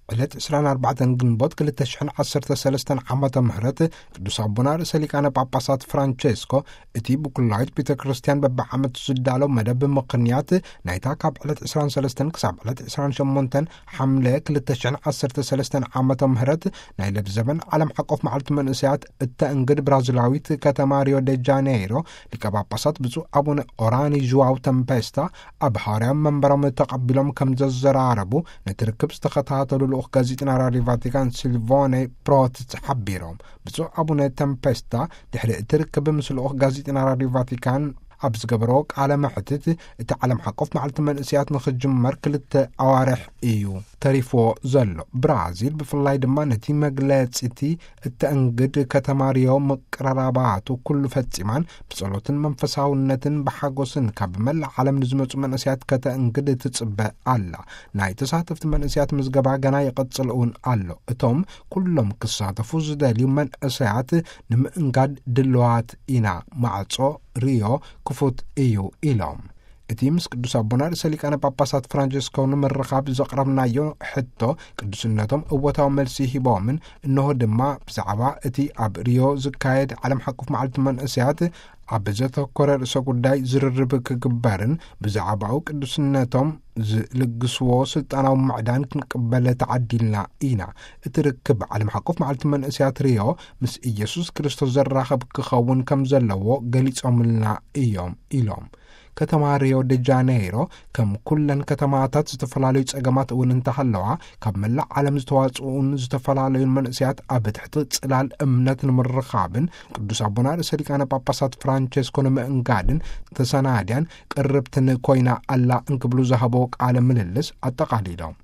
ዕለት ዕስራን ኣርባዕተን ግንቦት ክልተ ሽሕን ዓሰርተ ሰለስተን ዓመተ ምህረት ቅዱስ ኣቦና ርእሰ ሊቃነ ጳጳሳት ፍራንቼስኮ እቲ ብኩላዊት ቤተ ክርስቲያን በብዓመቱ ዝዳለው መደብ ምኽንያት ናይታ ካብ ዕለት ዕስራን ሰለስተን ክሳብ ዕለት ዕስራን ሸሞንተን ሓምለ ክልተ ሽሕን ዓሰርተ ሰለስተን ዓመተ ምህረት ናይ ለብዘበን ዓለም ሓቆፍ መዓልቲ መንእሰያት እተእንግድ ብራዚላዊት ከተማ ሪዮ ደ ጃኔይሮ ሊቀ ጳጳሳት ብፁዕ ኣቡነ ኦራኒ ዥዋው ተምፔስታ ኣብ ሃዋርያዊ መንበሮም ተቐቢሎም ከም ዘዘራረቡ ነቲ ርክብ ዝተኸታተሉ ልኡኽ ጋዜጠና ራድዮ ቫቲካን ሲልቮኔ ፕሮትስ ሓቢሮም። ብፁዕ ኣቡነ ተምፔስታ ድሕሪ እቲ ርክብ ምስ ልኡኽ ጋዜጠና ራድዮ ቫቲካን ኣብ ዝገበሮ ቃለ መሕትት፣ እቲ ዓለም ሓቆፍ መዓልቲ መንእሰያት ንኽጅመር ክልተ ኣዋርሕ እዩ ተሪፍዎ ዘሎ። ብራዚል ብፍላይ ድማ ነቲ መግለጺ እቲ እተእንግድ ከተማ ሪዮ ምቅርራባቱ ኩሉ ፈጺማን ብጸሎትን መንፈሳውነትን ብሓጎስን ካብ መላእ ዓለም ንዝመጹ መንእሰያት ከተእንግድ ትጽበ ኣላ። ናይ ተሳተፍቲ መንእሰያት ምዝገባ ገና ይቕጽል እውን ኣሎ። እቶም ኩሎም ክሳተፉ ዝደልዩ መንእሰያት ንምእንጋድ ድልዋት ኢና። ማዕጾ ሪዮ ክፉት እዩ ኢሎም። እቲ ምስ ቅዱስ ኣቦና ርእሰ ሊቃነ ጳጳሳት ፍራንቸስኮ ንምርኻብ ዘቕረብናዮ ሕቶ ቅዱስነቶም እወታዊ መልሲ ሂቦምን፣ እንሆ ድማ ብዛዕባ እቲ ኣብ ሪዮ ዝካየድ ዓለም ሓቁፍ መዓልቲ መንእሰያት ኣብ ዘተኮረ ርእሰ ጉዳይ ዝርርብ ክግበርን ብዛዕባኡ ቅዱስነቶም ዝልግስዎ ስልጣናዊ ምዕዳን ክንቅበል ተዓዲልና ኢና። እቲ ርክብ ዓለም ሓቁፍ መዓልቲ መንእሰያት ሪዮ ምስ ኢየሱስ ክርስቶስ ዘራኸብ ክኸውን ከም ዘለዎ ገሊጾምልና እዮም ኢሎም። ከተማ ሪዮ ደ ጃኔይሮ ከም ኩለን ከተማታት ዝተፈላለዩ ጸገማት እውን እንተሃለዋ፣ ካብ መላእ ዓለም ዝተዋጽኡን ዝተፈላለዩን መንእሰያት ኣብ ትሕቲ ጽላል እምነት ንምርኻብን ቅዱስ ኣቦና ርእሰ ሊቃነ ጳጳሳት ፍራንቸስኮ ንምእንጋድን ተሰናድያን ቅርብትን ኮይና ኣላ እንክብሉ ዝሃቦ ቃለ ምልልስ ኣጠቓሊሎም።